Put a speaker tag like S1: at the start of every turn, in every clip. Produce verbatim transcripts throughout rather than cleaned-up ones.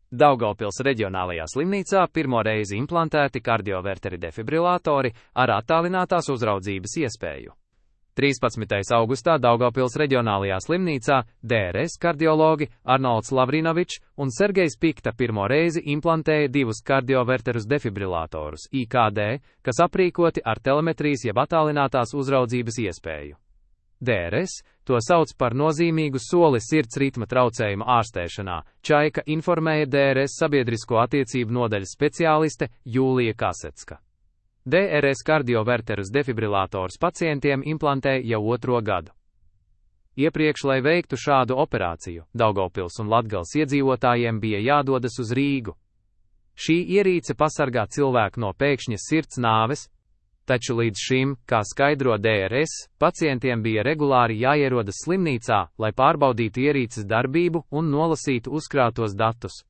S1: Daugavpils reģionālajā slimnīcā pirmo reizi implantēti kardioverteri defibrilatori ar attālinātās uzraudzības iespēju. trīspadsmitais augustā Daugavpils reģionālajā slimnīcā D R S kardiologi Arnolds Lavrinovičs un Sergejs Pikta pirmo reizi implantēja divus kardioverterus defibrilatorus I K D, kas aprīkoti ar telemetrijas jeb attālinātās uzraudzības iespēju. D R S to sauc par nozīmīgu soli sirds ritma traucējumu ārstēšanā, Čaika informēja D R S sabiedrisko attiecību nodaļas speciāliste Jūlija Kasecka. D R S kardioverterus defibrilators pacientiem implantē jau otro gadu. Iepriekš, lai veiktu šādu operāciju, Daugavpils un Latgales iedzīvotājiem bija jādodas uz Rīgu. Šī ierīce pasargā cilvēku no pēkšņas sirds nāves, taču līdz šim, kā skaidro D R S, pacientiem bija regulāri jāierodas slimnīcā, lai pārbaudītu ierīces darbību un nolasītu uzkrātos datus.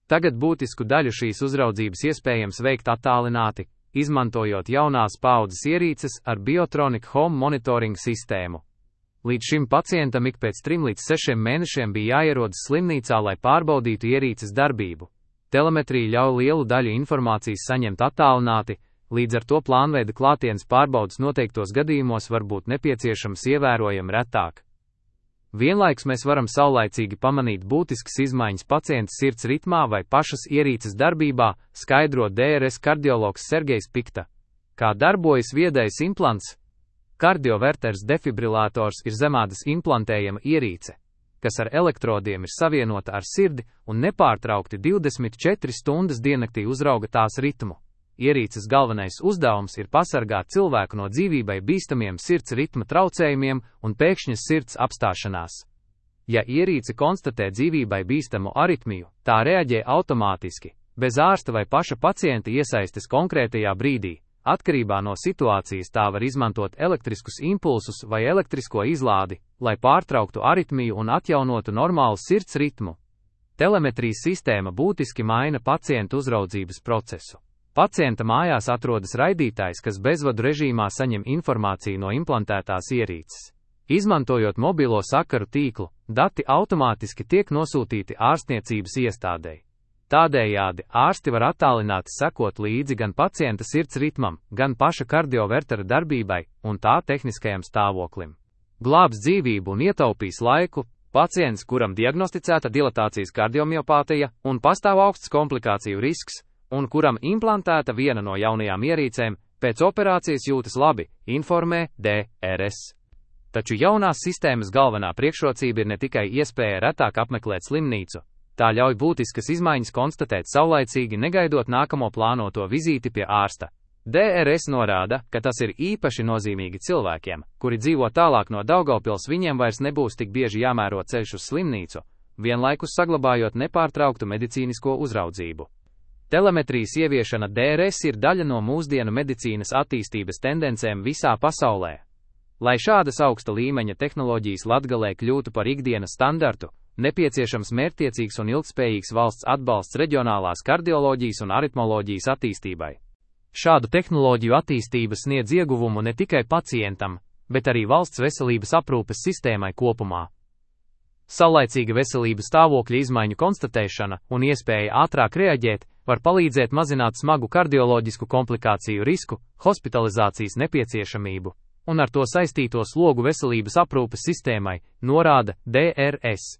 S1: Tagad būtisku daļu šīs uzraudzības iespējams veikt attālināti, izmantojot jaunās paaudzes ierīces ar Biotronic Home Monitoring sistēmu. Līdz šim pacientam ik pēc trim līdz sešiem mēnešiem bija jāierodas slimnīcā, lai pārbaudītu ierīces darbību. Telemetrija ļauj lielu daļu informācijas saņemt attālināti, līdz ar to plānveida klātienes pārbaudas noteiktos gadījumos var būt nepieciešams ievērojami retāk. Vienlaikus mēs varam saulaicīgi pamanīt būtiskas izmaiņas pacienta sirds ritmā vai pašas ierīces darbībā, skaidro D R S kardiologs Sergejs Pikta. Kā darbojas viedais implants? Kardioverters defibrillators ir zemādas implantējama ierīce, kas ar elektrodiem ir savienota ar sirdi un nepārtraukti divdesmit četras stundas diennaktī uzrauga tās ritmu. Ierīces galvenais uzdevums ir pasargāt cilvēku no dzīvībai bīstamiem sirds ritma traucējumiem un pēkšņas sirds apstāšanās. Ja ierīce konstatē dzīvībai bīstamu aritmiju, tā reaģē automātiski, bez ārsta vai paša pacienta iesaistes konkrētajā brīdī. Atkarībā no situācijas tā var izmantot elektriskus impulsus vai elektrisko izlādi, lai pārtrauktu aritmiju un atjaunotu normālu sirds ritmu. Telemetrijas sistēma būtiski maina pacientu uzraudzības procesu. Pacienta mājās atrodas raidītājs, kas bezvadu režīmā saņem informāciju no implantētās ierīces. Izmantojot mobilo sakaru tīklu, dati automātiski tiek nosūtīti ārstniecības iestādei. Tādējādi ārsti var attālināti sekot līdzi gan pacienta sirds ritmam, gan paša kardiovertera darbībai un tā tehniskajam stāvoklim. Glābs dzīvību un ietaupīs laiku. Pacients, kuram diagnosticēta dilatācijas kardiomiopātija un pastāv augsts komplikāciju risks, un kuram implantēta viena no jaunajām ierīcēm, pēc operācijas jūtas labi, informē D R S. Taču jaunās sistēmas galvenā priekšrocība ir ne tikai iespēja retāk apmeklēt slimnīcu, tā ļauj būtiskas izmaiņas konstatēt saulaicīgi, negaidot nākamo plānoto vizīti pie ārsta. D R S norāda, ka tas ir īpaši nozīmīgi cilvēkiem, kuri dzīvo tālāk no Daugavpils, viņiem vairs nebūs tik bieži jāmēro ceļš uz slimnīcu, vienlaikus saglabājot nepārtrauktu medicīnisko uzraudzību. Telemetrijas ieviešana D R S ir daļa no mūsdienu medicīnas attīstības tendencēm visā pasaulē. Lai šādas augsta līmeņa tehnoloģijas Latgalē kļūtu par ikdienas standartu, nepieciešams mērķtiecīgs un ilgspējīgs valsts atbalsts reģionālās kardioloģijas un aritmoloģijas attīstībai. Šādu tehnoloģiju attīstība sniedz ieguvumu ne tikai pacientam, bet arī valsts veselības aprūpes sistēmai kopumā. Saulaicīga veselības stāvokļa izmaiņu konstatēšana un iespēja ātrāk reaģēt var palīdzēt mazināt smagu kardioloģisku komplikāciju risku, hospitalizācijas nepieciešamību un ar to saistīto slogu veselības aprūpes sistēmai, norāda D R S.